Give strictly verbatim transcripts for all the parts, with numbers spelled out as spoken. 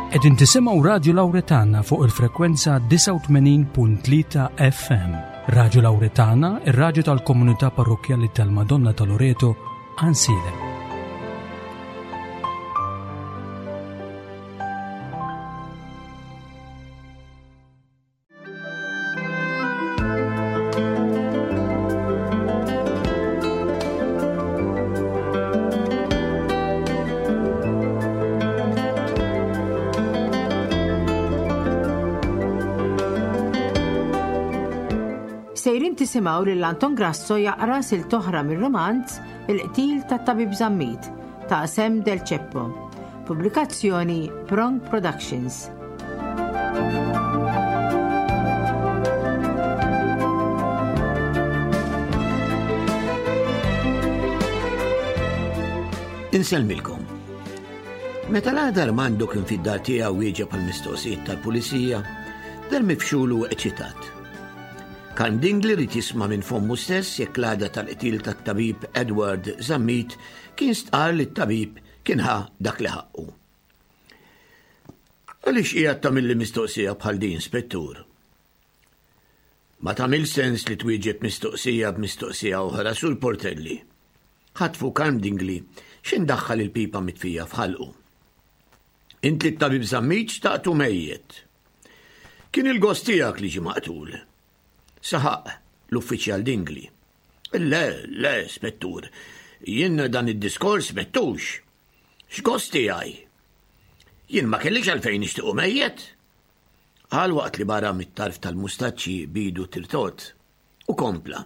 Qegħdin tisimgħu Radju Lawretana fuq il-frekwenza disgħa u tmenin punt tlieta F M. Radju Lawretana, ir-radju tal-komunità parrokkjali tal-Madonna ta' Loreto, Għajnsielem. Sejrin tisimgħu lil Anton Grasso jaqra silt oħra mir-romanz Il-Qtil tat-Tabib Zammit ta' Sam Del Ceppo. Pubblikazzjoni Prong Productions. Insellmilkom. Meta l-għada Armando kien fid-dar tiegħu wieġeb għall-mistoqsijiet tal-pulizija, der mifxul u eċitat. Karm Dingli rid jisma' minn fommu stess jekk l-għada tal-qtil tat-tabib Edward Zammit kien stqar li t-tabib kien ħa dak li ħaqqu. Għaliex qiegħed tagħmilli mistoqsija bħal din, Spettur? Ma tagħmel sens li twieġeb mistoqsija b'mistoqsija oħra, Sur Portelli. Ħatfu Karm Dingli x'indaħħal il-pipa mitfija f'ħalqu. Int li t-tabib Zammit xtaqtu mejjet. Kien il-gost tiegħek li ġie maqtul. Saħaq l-uffiċjal Dingli. Le, le, Spettur, jien dan id-diskors mettux. X'gost tiegħi? Jien ma kellix għalfejn nixtiequ mejjet. Qal waqt li barra mit-tarf tal-mustaċċi bidu tirtot. U kompla.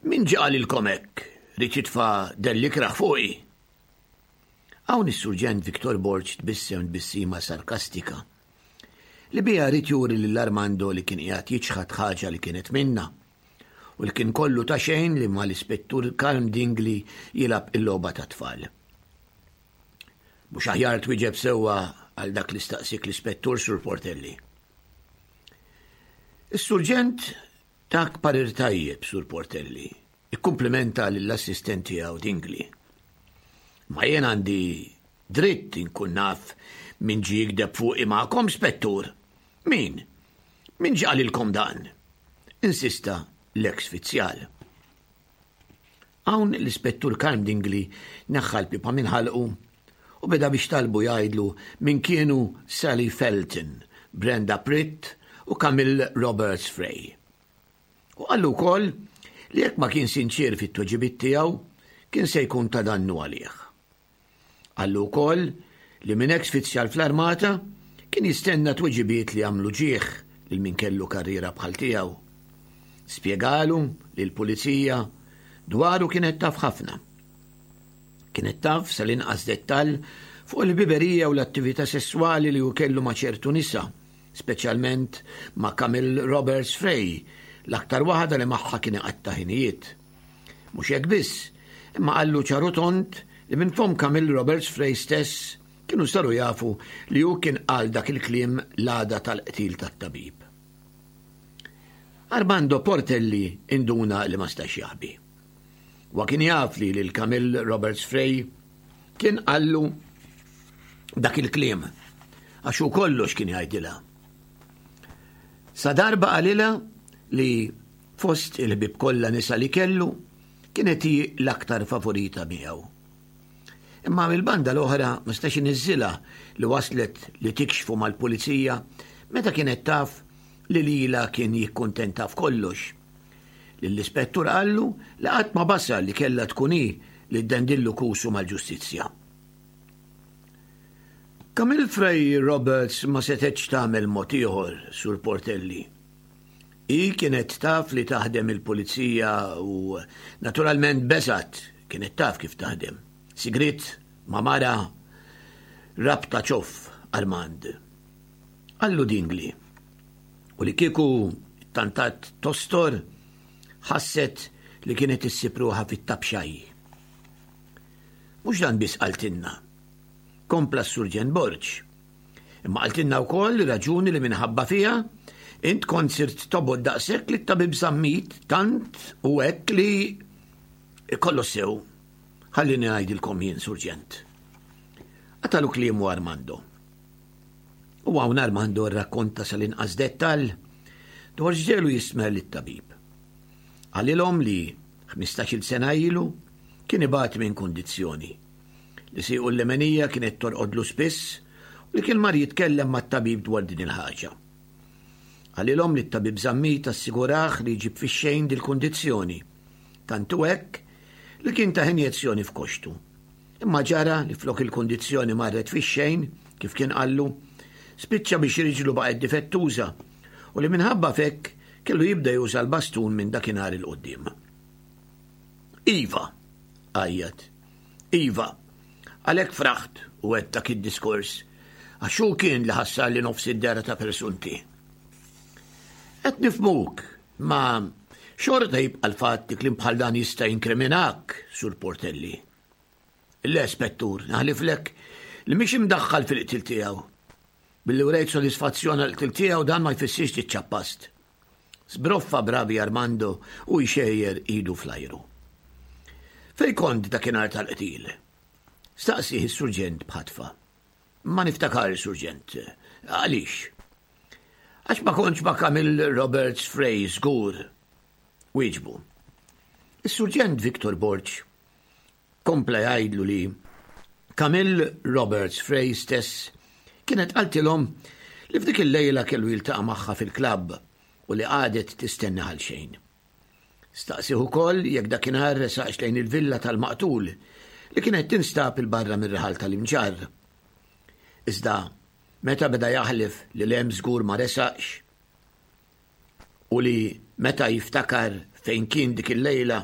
Min ġie qalilkom hekk, ried jitfa' delli kraħ fuqi. Hawn is-Surġent Victor Borg tbissem tbissima sarkastika li biha ried juri lil Armando li kien qiegħed jiċħad ħaġa li kienet minna u li kien kollu ta' xejn li mal-Ispettur Karm Dingli jilgħab il-logħba ta' tfal. Mhux aħjar twieġeb sewwa għal dak li staqsik l-Ispettur Sur Portelli. Is-Surġent tak parir tajjeb, Sur Portelli, ikkumplimenta lill-assistent tiegħu Dingli. Ma jien għandi dritt inkun naf min ġie jikdeb fuqi magħkom, Spettur. Min? Min ġie qalilkom dan? Insista l-eks fizzjal. Hawn l-Ispettur Karm Dingli neħħa l-pipa minn ħalqu u beda biex talbu jgħidlu min kienu Sally Felton, Brenda Pritt u Camille Roberts Frey. U qallu wkoll li jekk ma kien sinċier fit-tweġibiet tiegħu kien se jkun ta' dannu għalih. Qallu wkoll li minn eks fizzjal fl-armata kien jistenna tweġibiet li għamlu ġieħ lil min kellu karriera bħal tiegħu. Spjegalu li l-pulizija dwaru kienet taf ħafna. Kienet taf sal-inqas dettall fuq il-biberija u l-attività sesswali li hu kellu ma' ċertu nisa, speċjalment ma' Camille Roberts Frey, l-aktar waħda li magħha kien iqatta' ħinijiet. Mhux hekk biss, imma qallu ċaru tont li minn fom Camille Roberts Frey stess kienu saru jafu li hu kien qal dak il-kliem l-għada tal-qtil tat-tabib. Armando Portelli induna li ma stax jaħbi. Wa kien jaf li lil Camille Roberts Frey kien qallu dak il-kliem għax hu kollox kien jgħidilha. Sa darba qalilha li fost il-ħbieb kollha nisa li kellu kienet hi l-aktar favorita miegħu. Imma mill-banda l-oħra ma stax iniżżilha li waslet li tikxfu mal-pulizija meta kienet taf li lila kien jikkuntenta f'kollox. Lill-ispettur qallu li qatt ma basal li kellha tkun hi li ddendillu kusu mal-ġustizzja. Camille Frey Roberts ma setgħetx tagħmel mod ieħor, Sur Portelli. Hi kienet taf li taħdem il-pulizija u naturalment beżgħet, kienet taf kif taħdem. Sigrit ma' mara rabta ċoff Armand. Qallu Dingli. U li kieku tantat tostor ħasset li kienet issib ruħha fit-tabxaj. Mhux dan biss qaltilna. Kompla s-Surġent Borg. Imma qaltilna wkoll raġuni li minħabba fiha int kont sirt tobgħod daqshekk li t-tabib Zammit tant u hekk li kollox sew. Ħallini ngħidilkom jien, Surġent. Qatalu kliemu Armando. U hawn Armando rrakkonta sal-inqas dettall dwar x'ġegħlu jistmerr lit-tabib. Qalilhom li ħmistax-il sena ilu kien ibati minn kundizzjoni li siequ l-lemenija kienet torqodlu spiss u li kien mar jitkellem mat-tabib dwar din il-ħaġa. Qalilhom li t-tabib Zammit assigurah li jġib fix-xejn dil-kundizzjoni, tant hu hekk li kien tah injezzjoni f'koxtu. Imma ġara li flok il-kundizzjoni marret fix-xejn, kif kien qallu, spiċċa biex riġlu baqgħet difettuża u li minħabba f'hekk kellu jibda juża l-bastun minn dakinhar 'il quddiem. Iva, għajjat. Iva, għalhekk fraħt u għedt dak id-diskors, għax hu kien li ħassarli nofs id-dehra ta' persunti. Qed nifhmuk, ma xorta jibqa' l-fatt li kliem bħal dan jista' jinkriminak, Sur Portelli. Le, Spettur, naħliflek li mhix imdaħħal fil-qtil tiegħu. Billi urejt sodisfazzjon għall-qtil tiegħu dan ma jfissirx li ċċappast. Sbroffa bravi Armando u jxejjer idu fl-ajru. Fej kont dakinhar tal-qtil? Staqsih is-surġent b'ħatfa. Ma niftakar, surġent. Għaliex? Għax ma kontx ma' Camille Roberts Frey żgur. Wieġbu. Is-surġent Victor Borg kompla jgħidlu li Camille Roberts Frey stess kienet qaltilhom li f'dik il-lejla kellu jiltaqa' magħha fil-klabb u li qagħdet tistenna għal xejn. Staqsih ukoll jekk dakinhar resaqx lejn il-villa tal-maqtul li kienet tinstab il-barra mir-raħal tal-Imġarr. Iżda meta beda jaħlef li lem żgur ma resaqx u li meta jiftakar fejn kien dik il-lejla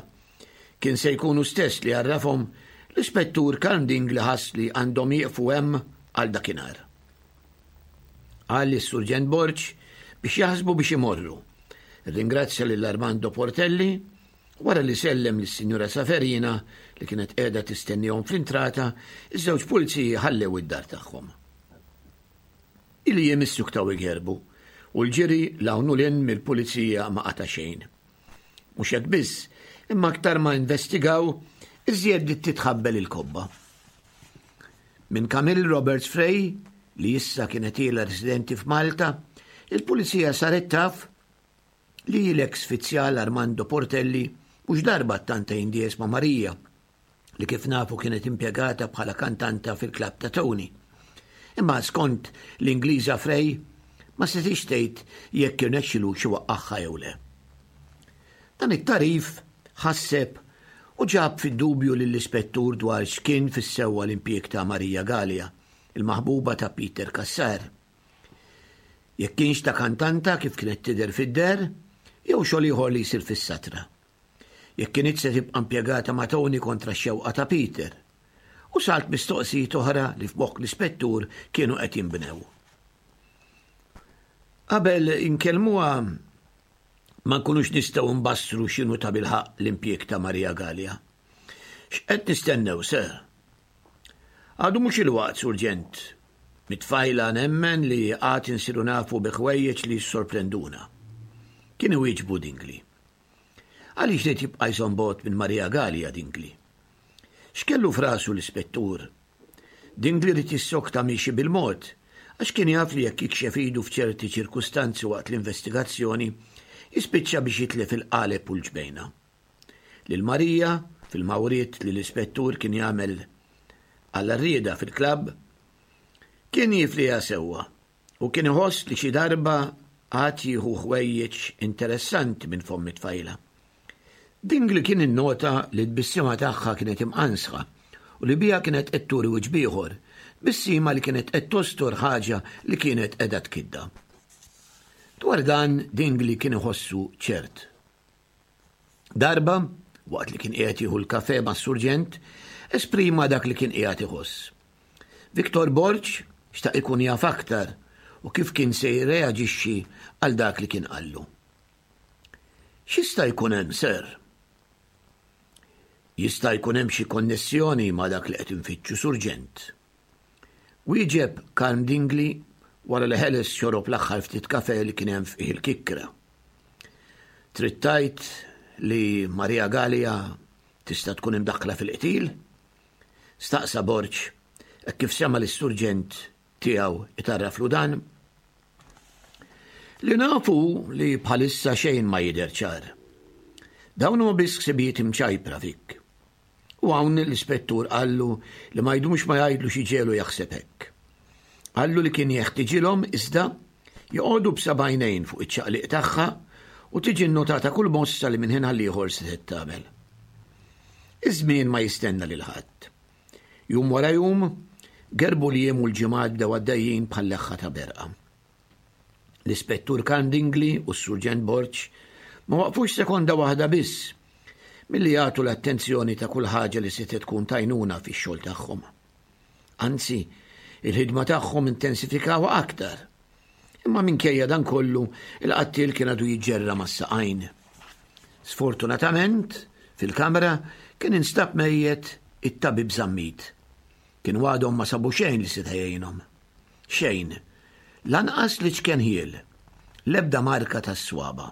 kien se jkunu stess li għarrafhom, l-ispettur Karm Dingli ħass li għandhom jieqfu hemm għal dakinhar. Qal lis-Surġent Borg biex jaħsbu biex imorru. Ringrazzja lil Armando Portelli wara li sellem lis-Sinjura Saferina li kienet qiegħda tistennihom fl-intrata, iż-żewġ puliziji ħallew id-dar tagħhom. Il-jiem issuktaw igerbu u l-ġiri 'l hawn u 'l hinn mill-pulizija ma qata' xejn. Mhux hekk biss, imma aktar ma investigaw, iżjed bdiet titħabbel il-kobba. Minn Camille Roberts Frey, li issa kienet ilha residenti f'Malta, il-pulizija saret taf li l-eks fizzjal Armando Portelli mhux darba ttanta jindies ma' Marija, li kif nafu kienet impjegata bħala kantanta fil-klabb ta' Tony. Imma skont l-Ingliża Frey, ma setgħetx tgħid jekk irnexxilux iwaqqagħha jew le. Dan it-tarif ħasseb u ġab fid-dubju lill-ispettur dwar x'kien fis-sewwa l-impjieg ta' Marija Galea, il-maħbuba ta' Peter Cassar. Jekk kienx ta' kantanta kif kienet tidher fid-der, jew xogħol ieħor li jsir fis-satra. Jekk kienet se tibqa' impjegata ma' Tony kontra x-xewqa ta' Peter. U salt mistoqsijiet oħra li f'moħħ l-ispettur kienu qed jinbnew. Qabel inkellmuha ma nkunux nistgħu nbassru x'inhu ta' bilħaqq l-impjieg ta' Marija Galea. X'qed nistennew, sir? Għadu mhux il-waqt, Surġent. Mit-tfajla nemmen li għad insiru nafu bi ħwejjeġ li jissorprenduna. Kien iwieġbu Dingli. Għaliex li jibqa' jżomm bogħod minn Marija Galea Dingli? X'kellu f'rasu l-ispettur? Dingli ried jissokta miexi bil-mod, għax kien jaf li jekk jikxef idu f'ċerti ċirkustanzi waqt l-investigazzjoni, jispiċċa biex jitlef il-qaleb u l-ġbejna. Lil Marija, fil-mawriet li l-ispettur kien jagħmel għall-rieda fil-klabb, kien jifliha sewwa u kien iħoss li xi darba għad jieħu ħwejjeġ interessanti minn fomm it-tfajla. Dingli kien innota li t-tbissima tagħha kienet imqansħa u li biha kienet qed turi wiċċ b'ieħor, tbissima li kienet qed tostor ħaġa li kienet qiegħda tkidda. Dwar dan Dingli kien iħossu ċert. Darba, waqt li kien qiegħed jieħu l-kafe mas-surġent, esprima dak li kien qiegħed iħoss. Victor Borg xtaq ikun jaf aktar u kif kien se jirreaġixxi għal dak li kien qallu. X'jista' jkun hemm, sir? Jista' jkun hemm xi konnessjoni ma' dak li qed infittxu, surġent. Wieġeb Karm Dingli wara li ħeles xorob l-aħħar ftit kafe li kien hemm fih il-kikkra. Trid tgħid li Marija Galea tista' tkun imdaħħla fil-qtil? Staqsa Borg hekk kif sema lis-surġent tiegħu itarraflu dan. Li nafu li bħalissa xejn ma jidher ċar. Dawn huma biss ħsibijiet imċajpra fik. U hawn l-ispettur qallu li ma jdumx ma jgħidlu xi ġelu jaħseb hekk. Qallu li kien jeħtiġilhom iżda joqogħdu b'sebgħajnejn fuq iċ-ċaqliq tagħha u tiġi nnotata kull mossa li minn ħin għal ieħor setgħet tagħmel. Iż-żmien ma jistenna lil ħadd. Jum wara jum, gerbu l-jiem u l-ġimgħat bdew għaddejjin bħal leħħa ta' berqa. L-Ispettur Karm Dingli u s-Surġent Borg ma waqfux sekonda waħda biss milli jagħtu l-attenzjoni ta' kull ħaġa li setgħet tkun t'għajnuna fix-xogħol tagħhom. Anzi, il-ħidma tagħhom intensifikawha aktar. Imma minkejja dan kollu, il-qattiel kien għadu jiġġerra mas-saqajn. Sfortunatament, fil-kamra kien instab mejjet it-tabib Zammit. Kienu għadhom ma sabu xejn li seta' jgħinhom. Xejn. Lanqas li ċken ħiel. L-ebda marka tas-swaba.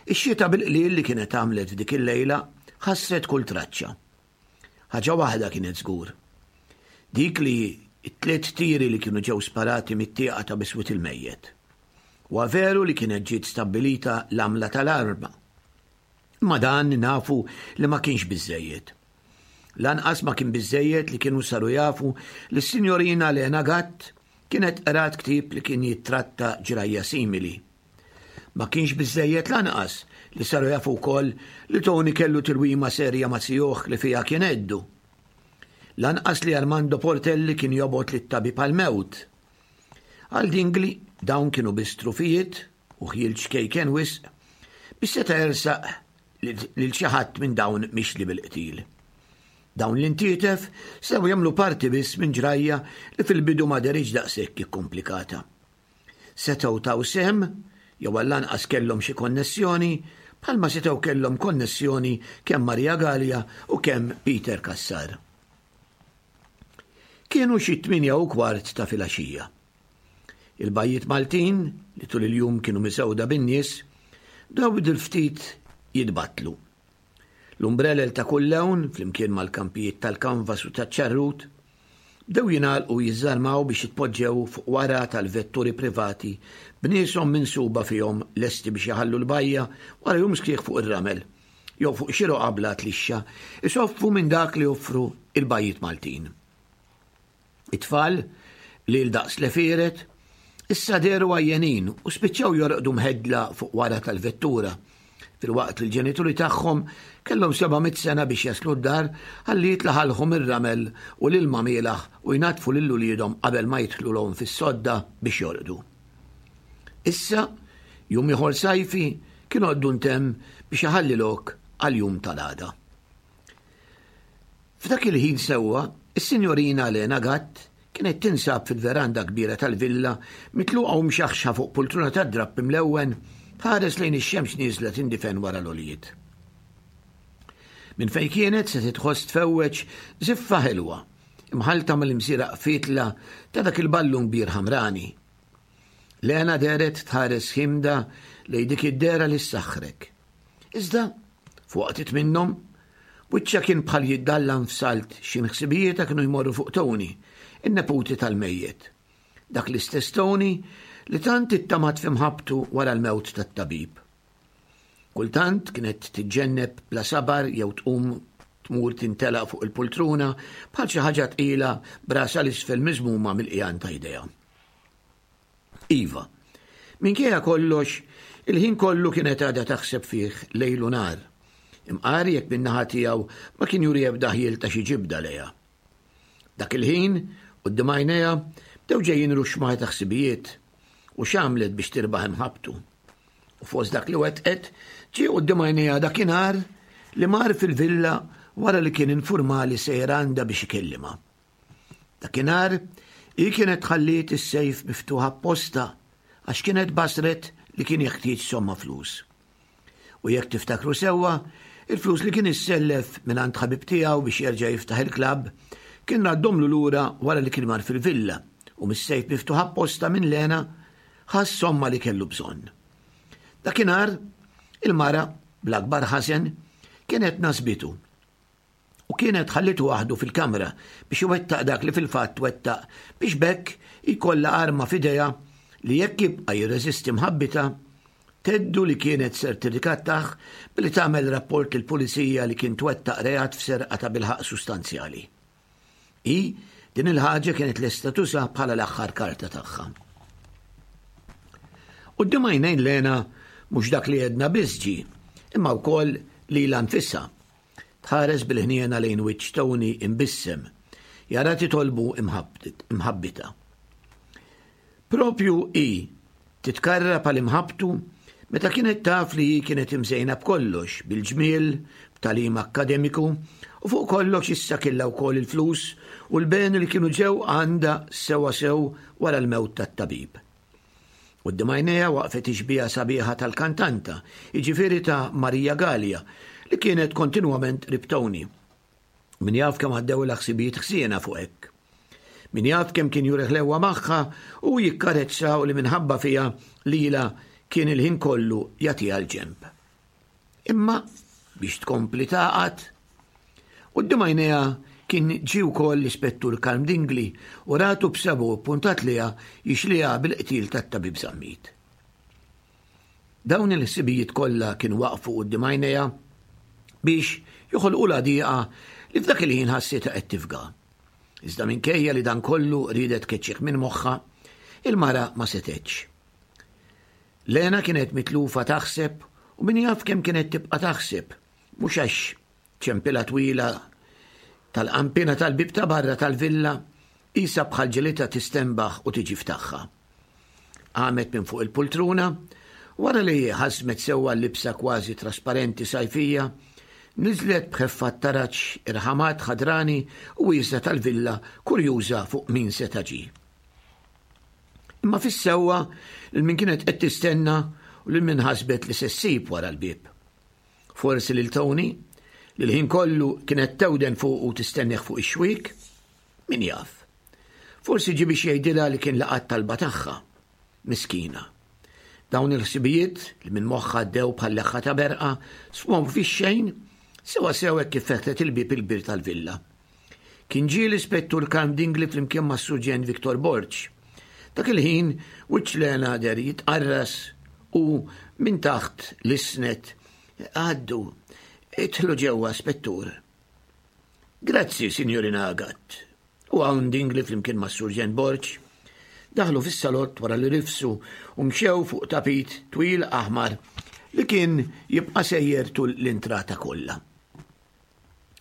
Ix-xita bil-qlil li kienet għamlet f'dik il-lejla ħassret kull traċċa. Ħaġa waħda kienet żgur. Dik li t-tliet tiri li kienu ġew sparati mit-tieqa ta' biswit il-mejjet. Huwa veru li kienet ġiet stabbilita l-għamla tal-arma. Imma dan nafu li ma kienx biżżejjed. Lanqas ma kien biżżejjed li kienu saru jafu li s-sinjorina Lena Gatt kienet qrat ktieb li kien jittratta ġrajja simili. Ma kienx biżżejjed lanqas li saru jafu wkoll li Tony kellu tilwima serja ma' zijuh li fiha kien għeddu. Lanqas li Armando Portelli kien jobgħod lit-tabib għall-mewt. Għal Dingli dawn kienu biss trufijiet u ħjiel ċkejken wisq biex seta' jersaq lil xi ħadd minn dawn mixli bil-qtil. Dawn l-intietef sew jagħmlu parti biss minn ġrajja li fil-bidu ma deritx daqshekk ikkumplikata. Setgħu taw sehem jew għall-anqas kellhom xi konnessjoni bħalma setgħu kellhom konnessjoni kemm Maria Galea u kemm Peter Cassar. Kienu xi tmienja u kwart ta' filgħaxija. Il-bajjiet Maltin, li tul il-jum kienu misewda bin-nies, bdew il-ftit jitbattlu. L-umbrelel ta' kull lewn, flimkien mal-kampijiet tal-kanvas u taċ-ċarrut, bdew jingħalqu jiżżarmaw biex jitpoġġew fuq wara tal-vetturi privati b'nieshom minsuba fihom lesti biex jaħallu l-bajja wara jum sħiħ fuq ir-ramel jew fuq xi roqgħa bla tlixxa isoffu minn dak li joffru il-bajjiet Maltin. It-tfal li l-daqs lefiret issa dehru għajjenin u spiċċaw jorqdu mħeddla fuq wara tal-vettura filwaqt li l-ġenituri tagħhom kellhom seba' mitt sena biex jaslu d-dar ħalli jitlaħalhom ir-ramel u l-ilma mielaħ u jnatfu lil uliedhom qabel ma jidħlulhom fis-sodda biex jorqdu. Issa, jum ieħor sajfi kien għoddu ntemm biex iħalli lok għal jum tal-għada. F'dak il-ħin sewwa, is-sinjorina Lena Gatt kienet tinsab fil-veranda kbira tal-villa mitluqa u mxaħxa fuq pultruna tad-drapp imlewwen tħares lejn ix-xemx nieżla tindifen wara l-għoljiet. Minn fejn kienet se titħoss tfewweġ żiffa ħelwa, imħalta mal-imsieraq fitla ta' dak il-ballun kbir ħamrani. Lena dehret tħares ħimda lejn dik id-dehra li ssaħħrek. Iżda, f'waqtiet minnhom, wiċċha kien bħal jiddallam f'salt xi ħsibijietha kienu jmorru fuq Tony, in-neputi tal-mejjet. Dak l-istess Tony li tant ittamat f'imħabbtu wara l-mewt tat-tabib. Kultant kienet tiġġenneb bla sabar jew tqum tmur tintelaq fuq il-pultruna bħal xi ħaġa tqila brasha l-isfel miżmuma mill-qjan ta' idejha. Iva, minkejja kollox, il-ħin kollu kienet għadha taħseb fih lejl u nhar. Imqar jekk min-naħa tiegħu ma kien juri ebda ħjiel ta' xi ġibda lejha. Dak il-ħin, quddiem għajnejha, bdew ġejjin ruxxmaħ ta' ħsibijiet u x'għamlet biex tirbaħ imħabbtu. U fost dak li wettqet, ġie quddiem għajnejha dakinhar li mar fil-villa wara li kien informali sejjer għandha biex ikellimha. Dakinhar, hi kienet ħalliet is-sejf miftuħ apposta għax kienet basret li kien jeħtieġ somma flus. U jekk tiftakru sewwa, il-flus li kien issellef minn għand ħabib tiegħu biex jerġa' jiftaħ il-klabb kien raddhomlu lura wara li kien mar fil-villa u mis-sejf miftuħ apposta minn Lena ħass somma li kellu bżonn. Dakinhar, il-mara, bl-akbar ħasen, kienet nasbitu u kienet ħallitu waħdu fil-kamra biex iwettaq dak li fil-fatt wettaq biex b'hekk jkollha arma f'idejha li jekk jibqa' jirreżisti mħabbitha, theddu li kienet ser tirrikattah billi tagħmel rapport lill-pulizija li kien twettaq reat f'serqa ta' bilħaq sustanzjali. Hi din il-ħaġa kienet lesta tuża bħala l-aħħar karta tagħha. Quddiem għajnejn Lena mhux dak li għedna biss ġie, imma wkoll lilha nfisha. Tħares bil-ħniena lejn wiċċ Tony imbissem, jara titolbu imħabbitha. Propju hi titkarrab għal imħabbtu meta kienet taf li hi kienet imżejna b'kollox, bil-ġmiel, b'tagħlim akkademiku, u fuq kollox issa kellha wkoll il-flus u l-beni li kienu ġew għandha sewa sew wara l-mewt tat-tabib. Quddiem għajnejha waqfet ix-xbieha sabiħa tal-kantanta, jiġifieri ta' Maria Galea, li kienet kontinwament qrib Tony. Min jaf kemm għaddewlha ħsibijiet ħsiena fuq hekk. Min jaf kemm kien juri ħlewwa magħha u jikkarezza u li minħabba fiha lilha kien il-ħin kollu jagħtiha l-ġenb. Imma biex tkompli tagħqad, quddiem għajnejha kien ġie wkoll l-Ispettur Karm Dingli u ratu b'sebgħu ppuntat lejha jixliha bil-qtil tat-tabib Zammit. Dawn il-ħsibijiet kollha kienu waqfu quddiem għajnejha biex joħolqulha dieqa li f'dak il-ħin ħassitha qed tifga. Iżda minkejja li dan kollu riedet tkeċċih minn moħħha, il-mara ma setgħetx. Lena kienet mitlufa taħseb u min jaf kemm kienet tibqa' taħseb, mhux għax ċempila twila tal-qampina tal-bib ta' barra tal-villa isa bħal ġelita tistenbaħ u tiġi ftaħħa. Qamet minn fuq il-pultruna, wara li ħasmet sewwa l-libsa kważi trasparenti sajfija, niżlet b'ħeffa t-taraġ irħamat ħadrani u wiesa' tal-villa kurjuża fuq min seta' ġie. Imma fis-sewwa lil min kienet qed tistenna u lil min ħasbet li se ssib wara l-bieb. Forsi lil Tony, li l-ħin kollu kienet tewden fuq u tistennih fuq ix-xwiek, min jaf. Forsi ġie biex jgħidilha li kien laqat talba tagħha. Miskina. Dawn il-ħsibijiet li minn moħħha għaddew bħal leħħa ta' berqa sfhom fix-xejn sewa sew hekk kif fetħet il-bieb il-kbir tal-villa. Kien ġie l-Ispettur Karm Dingli flimkien mas-Surġent Victor Borg. Dak il-ħin wiċċ Lena der jitqarras u minn taħt l-isnet għaddu idħlu ġewwa, Spettur. Grazzi, Signorina Gatt. U hawn Dingli flimkien mas-Surġent Borg daħlu fis-salott wara li rifsu u mxew fuq tapit twil aħmar li kien jibqa' sejjer tul l-intrata kollha.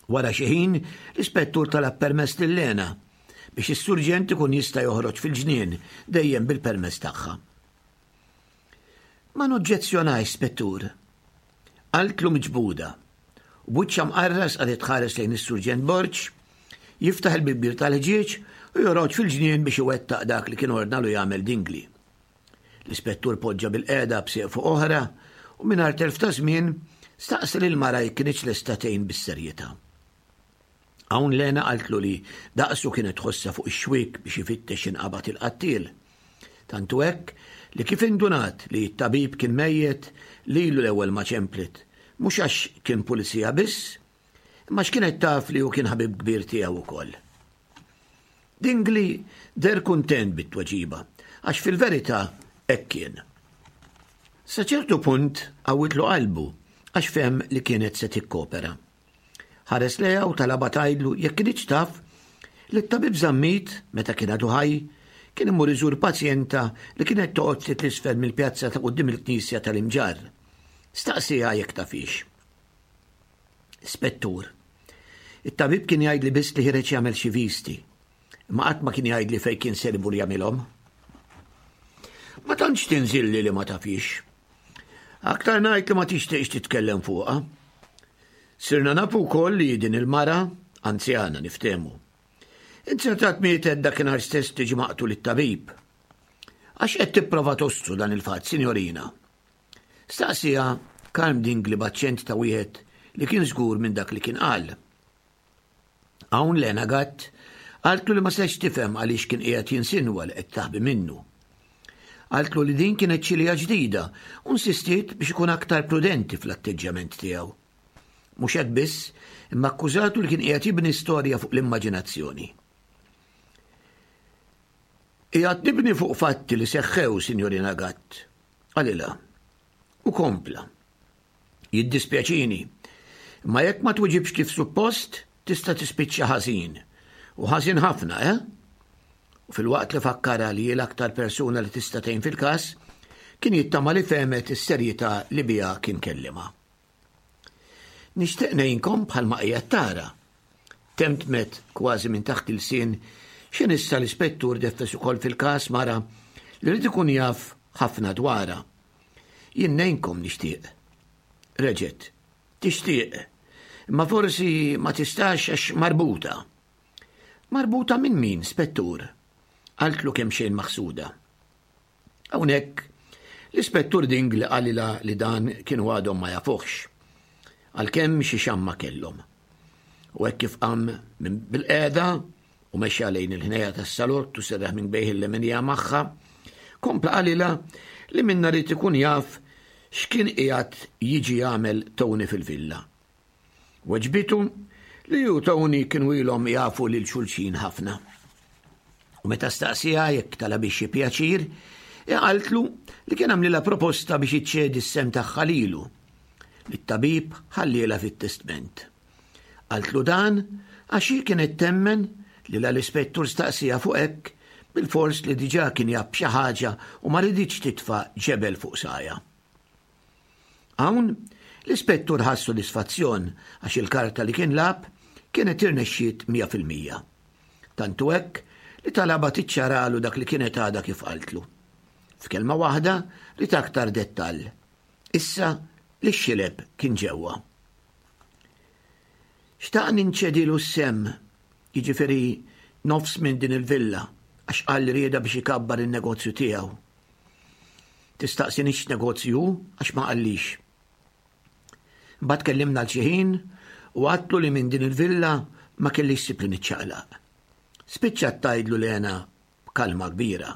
Wara xi ħin, l-ispettur talab permess lil Lena biex is-surġent ikun jista' joħroġ fil-ġnien dejjem bil-permess tagħha. Ma noġġezzjonajx, spettur. Qaltlu miġbuda. U b'wiċċha mqarras qagħdet tħares lejn is-surġent Borg, jiftaħ il-bibbir tal-ħġieġ u joħroġ fil-ġnien biex iwettaq dak li kien ordnalu jagħmel Dingli. L-ispettur poġġa bil-qiegħda b'sieq fuq oħra u mingħajr telf ta' żmien staqsa lil mara jekk kinitx lesta tgħin bis-serjetà. Hawn Lena qaltlu li daqsu kienet tħossha fuq ix-xwiek biex ifittex inqabad il-qattiel. Tantu hekk li kif indunat li t-tabib kien mejjet lilu l-ewwel ma ċemplet, mhux għax kien pulizija biss, imma x'kienet taf li hu kien ħabib kbir tiegħu wkoll. Dingli der kuntent bit-tweġiba, għax fil-verità hekk kien. Sa ċertu punt qawwitlu qalbu għax fehem li kienet se tikkopera. Ħares lejha u talabha tgħidlu jekk kinitx taf li t-tabib Zammit, meta kien għadu ħaj, kien imur iżur pazjenta li kienet toqgħod ftit l-isfel mill-pjazza ta' quddiem il-knisja tal-Imġarr. Staqsiha jekk tafix. Spettur, it-tabib kien jgħidli biss li ħireġ jagħmel xi visti, imma qatt ma kien jgħidli fejn kien ser imur jagħmilhom. Ma tantx tinżilli li ma tafix. Aktar ngħid li ma tixtieqx titkellem fuqha. Sirna nafu wkoll li din il-mara, anzjana niftehmu, inzertat mietet dakinhar stess tiġi maqtul it-tabib. Għax qed tipprova tostru dan il-fatt, sinjorina? Staqsija Karm Dingli b'aċċent ta' wieħed li kien żgur minn dak li kien qal. Hawn Lena Gatt qaltlu li ma setgħetx tifhem għaliex kien qiegħed jinsinwa li qed taħbi minnu. Qaltlu li din kienet ċilija ġdida u nsistiet biex ikun aktar prudenti fl-atteġġjament tiegħu. Mhux hekk biss, imma akkużatu li kien qiegħed jibni storja fuq l-immaġinazzjoni. Qiegħed nibni fuq fatti li seħħew, Sinjorina Gatt, qalilha. U kompla. Jiddispjaċini, imma jekk ma twiġibx kif suppost, tista' tispiċċa ħażin. U ħażin ħafna, eh? U filwaqt li fakkarha li l-aktar persuna li tista' tgħin fil-każ, kien jittama li fehmet is-serjetà li biha kien kellimha. Nixtieq ngħinkom bħalma qiegħed tara. Temtmet kważi minn taħt il-sin x'in issa l-ispettur deffes ukoll fil-każ mara li rid ikun jaf ħafna dwarha. Jien ngħinkom nixtieq. Reġgħet, tixtieq, imma forsi ma tistax għax marbuta. Marbuta minn min, spettur? Qaltlu kemxejn maħsuda. Hawnhekk l-ispettur Dingli qalilha li dan kienu għadhom ma jafuhx, għalkemm xi xamma kellhom. U hekk kif qam minn bilqiegħda u mexa lejn il-ħneja tas-salott u serraħ minn bejh il-leminija magħha, kompla qalilha li minna ried ikun jaf x'kien qiegħed jiġi jagħmel Tony fil-villa. Weġbitu li hu Tony kienu ilhom jafu lil xulxin ħafna. U meta staqsiha jekk talabhiex xi pjaċir, qaltlu li kien għamlilha proposta biex iċċedi s-sehem tagħha lilu, li t-tabib ħallielha fit-testment. Qaltlu dan għax hi kienet temmen li la l-ispettur staqsiha fuq hekk bilfors li diġà kien jaf xi ħaġa u ma riditx titfa' ġebel fuq sajja. Hawn l-ispettur ħass sodisfazzjon għax il-karta li kien lagħab kienet irnexxiet mija fil-mija. Tantu hekk li talabha tiċċaralu dak li kienet għadha kif qaltlu. F'kelma waħda ried aktar dettall. Issa li x-xileb kien ġewwa. Xtaq ninċedilu s-sehem, jiġifieri nofs minn din il-villa, għax qal li rieda biex ikabbar in-negozju tiegħu. Tistaqsinix x'negozju hu għax ma qallix. Mbagħad tkellimna għal xi ħin u għadtlu li minn din il-villa ma kellix ħsieb li niċċaqlaq. Spiċċat tgħidlu Lena b'kalma kbira.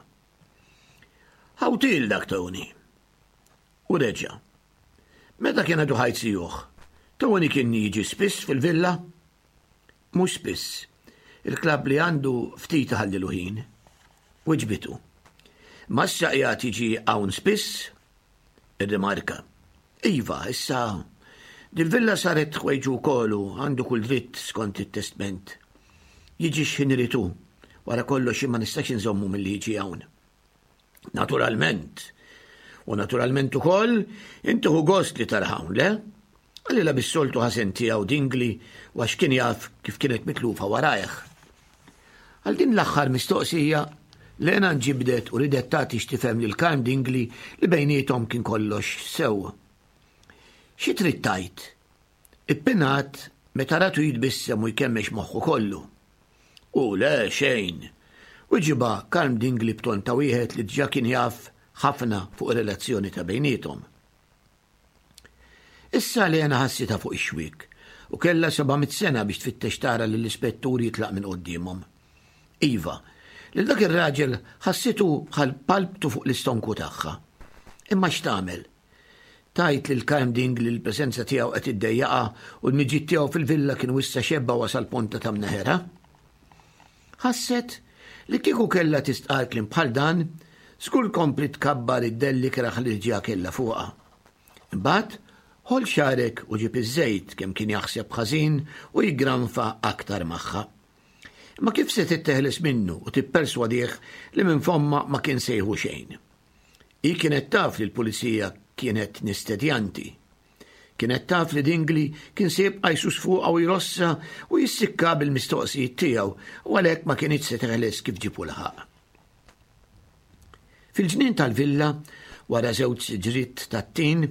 Ħawtil dak Tony. U reġa'. Meta kien għadu ħaj zijuh, Tony kien jiġi spiss fil-villa? Mhux spiss. Il-klabb li għandu ftit ħallilu ħin. Wiġbitu. Ma issa qiegħed jiġi hawn spiss? Irrimarka. Iva, issa dil-villa saret ħwejġu wkoll u għandu kull dritt skont it-testment. Jiġi x'ħin irid hu. Wara kollox ma nistax inżommu milli jiġi hawn. Naturalment. U naturalment ukoll inti hu gost li tarah hawn, le? Qalilha bis-soltu ħażen tiegħu Dingli u għax kien jaf kif kienet mitlufa warajh. Għal din l-aħħar mistoqsija, Lena nġibdet u ridet tagħti x'tifhem lil Karm Dingli li bejniethom kien kollox sew. Xi trid tgħid? Ippinat meta ratu jitbissem u jkemmex moħħu kollu. U le xejn. Wiġibha Karm Dingli b'ton ta' wieħed li diġà kien jaf ħafna fuq ir-relazzjoni ta' bejniethom. Issa Lena ħassitha fuq ix-xwiek u kellha seba' mitt sena biex tfittex tara lill-ispettur jitlaq minn quddiemhom. Iva, lil dak ir-raġel ħassitu bħal palptu fuq l-istonku tagħha. Imma x'tagħmel? Tgħid lil Karm Dingli li l-preżenza tiegħu qed iddejjaqha u l-miġiet tiegħu fil-villa kienu issa xebba wasal ponta ta' mneħerha? Ħasset li kieku kellha tistqar kliem bħal dan, żgur kompli tkabbar id-delli kraħ li ġa kellha fuqha. Imbagħad ħol xarek u ġib iż-żejt kemm kien jaħseb ħażin u jiggranfa aktar magħha. Imma kif se titteħles minnu u tipperswadih li minn fomma ma kien sejħu xejn? Hi kienet taf li l-pulizija kienet nistedjanti. Kienet taf li Dingli kien se jibqa' jsus fuqha u jrossa u jissikka bil-mistoqsijiet tiegħu u għalhekk ma kinitx se teħles kif ġibu laħaq. Fil-ġnien tal-villa, wara żewġ siġriet tat-tin,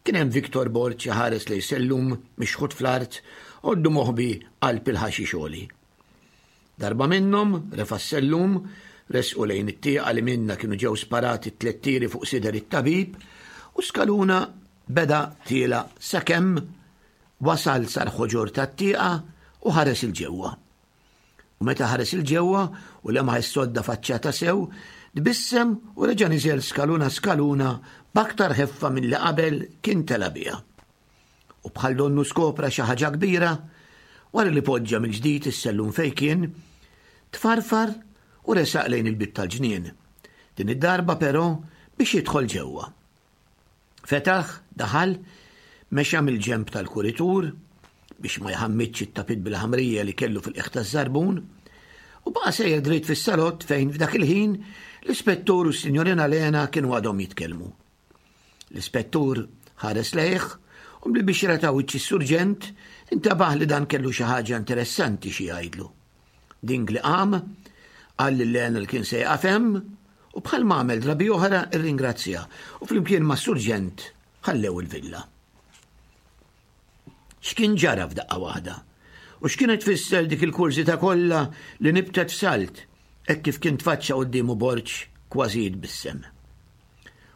kien hemm Victor Borg ħares lejn sellum mixħut fl-art għoddu moħbi qalb il-ħaxix għoli. Darba minnhom refa' s-sellum, resqu lejn it-tieqa li minna kienu ġew sparati tliet tiri fuq sider it-tabib u skaluna beda tiela sakemm wasal sal-ħoġor tat-tieqa u ħares il-ġewwa. U meta ħares il-ġewwa u lemaħ is-sodda faċċata sew, tbissem u reġa' niżel skaluna skaluna b'aktar ħeffa milli qabel kien tela' biha. U bħal donnu skopra xi ħaġa kbira, wara li poġġa mill-ġdid is-sellum fejn kien, tfarfar u resaq lejn il-bieb tal-ġnien. Din id-darba però biex jidħol ġewwa. Fetaħ, daħal, mexa mill-ġenb tal-kuritur biex ma jħammitx it-tapit bil-ħamrija li kellu fil-qiegħ taż-żarbun u baqa' sejjer dritt fis-salott fejn f'dak il-ħin l-ispettur u s-sinjorina Lena kienu għadhom jitkellmu. L-ispettur ħares lejh u bil-bixra ta' wiċċ is-surġent intabaħ li dan kellu xi ħaġa interessanti xi jgħidlu. Dingli qam, qal lil Lena li kien se jaqaf hemm u bħal ma għamel drabi oħra irringrazzja u flimkien mas-surġent ħallew il-villa. X'kien ġara f'daqqa waħda? U x'kienet tfisser dik il-kurżità kollha li nibtet f'salt hekk kif kien tfaċċa quddiemu Borg kważi jitbissem.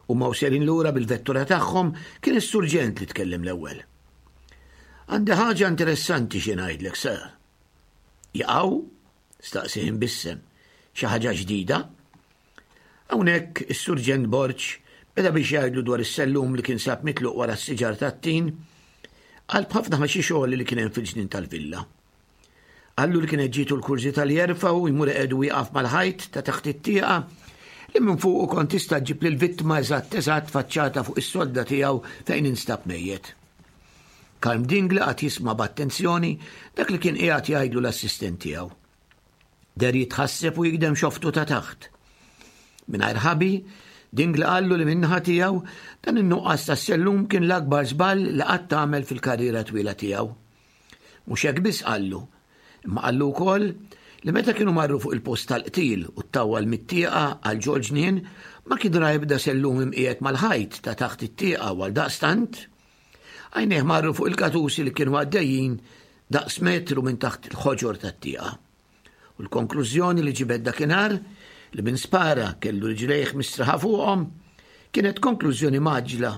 Huma u sejrin lura bil-vettura tagħhom kien is-surġent li tkellem l-ewwel. Għandi ħaġa interessanti xi ngħidlek, sir. Jaqaw? Staqsih imbissem. Xi ħaġa ġdida? Hawnhekk is-Surġent Borg beda biex jgħidlu dwar is-sellum li kien sab mitluq wara s-siġar tat-tin qalb ħafna ħaxix għoli li kien hemm fil-ġnien tal-villa. Qallu li kienet ġietu l-kurżità li jerfgħu jmur iqiegħdu wieqaf mal-ħajt ta' taħt it-tieqa li minn fuqu kont tista' ġġib lill-vittma eżatt eżatt faċċata fuq is-sodda tiegħu fejn instab mejjet. Karm Dingli qagħad jisma' b'attenzjoni dak li kien qiegħed jgħidlu l-assistent tiegħu. Deher jitħasseb u jigdem xoftu ta' taħt. Mingħajr ħabi, Dingli qallu li min-naħa tiegħu dan in-nuqqas tas-sellum kien l-akbar żball li qatt għamel fil-karriera twila tiegħu. Mhux hekk biss qallu, imma qallu wkoll li meta kienu marru fuq il-post tal-qtil u ttawwal mit-tieqa għal ġol-ġnien ma kien ra ebda sellum imqiegħed mal-ħajt ta' taħt it-tieqa u għaldaqstant għajnejh marru fuq il-katusi li kienu għaddejjin daqs metru minn taħt il-ħoġor tat-tieqa. U l-konklużjoni li ġibed dakinhar li min spara kellu riġlejh mistraħa fuqhom kienet konklużjoni mgħaġġla,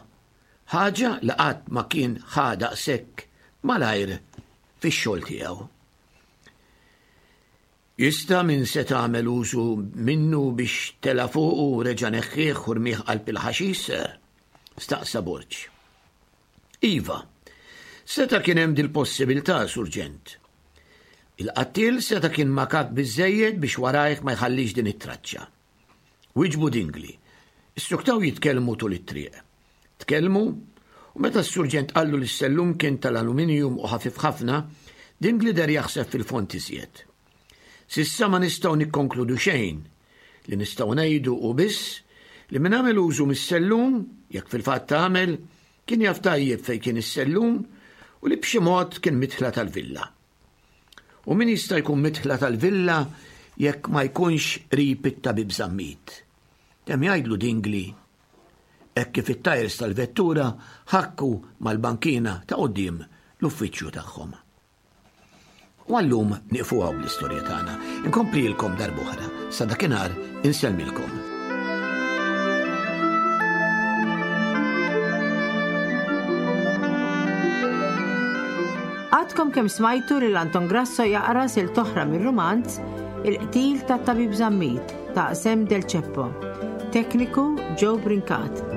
ħaġa li qatt ma kien ħa daqshekk malajr fix-xogħol tiegħu. Jista' min seta' għamel użu minnu biex tela' fuqu u reġa' neħħieh u rmieh qalb il-ħaxix, sir? Staqsa Borg. Iva, seta' kien hemm dil-possibilità, Surġent. Il-qattiel seta' kien makak biżżejjed biex warajh ma jħallix din it-traċċa. Wieġbu Dingli. Issuktaw jitkellmu tul it-triq. Tkellmu u meta s-surġent qallu li s-sellum kien tal-aluminium u ħafif ħafna, Dingli deher jaħseb fil-fond iżjed. S'issa ma nistgħu nikkonkludu xejn. Li nistgħu ngħidu hu biss li min għamel użu mis-sellum, jekk fil-fatt għamel, kien jaf tajjeb fejn kien is-sellum u li b'xi mod kien midħla tal-villa. U min jista' jkun midħla tal-villa jekk ma jkunx qrib it-tabib Zammit? Temm jgħidlu Dingli hekk kif it-tajers tal-vettura ħakku mal-bankina ta' quddiem l-uffiċċju tagħhom. U għallum nieqfu hawn l-istorja tagħna. Inkomplilkom darb'oħra. Sa dakinhar insellmilkom. Għadkom kemm smajtu lil Anton Grasso jaqra silt oħra mir-rumanz Il-qtil tat-Tabib Zammit ta' Sam Del Ceppo. Tekniku Joe Brincat.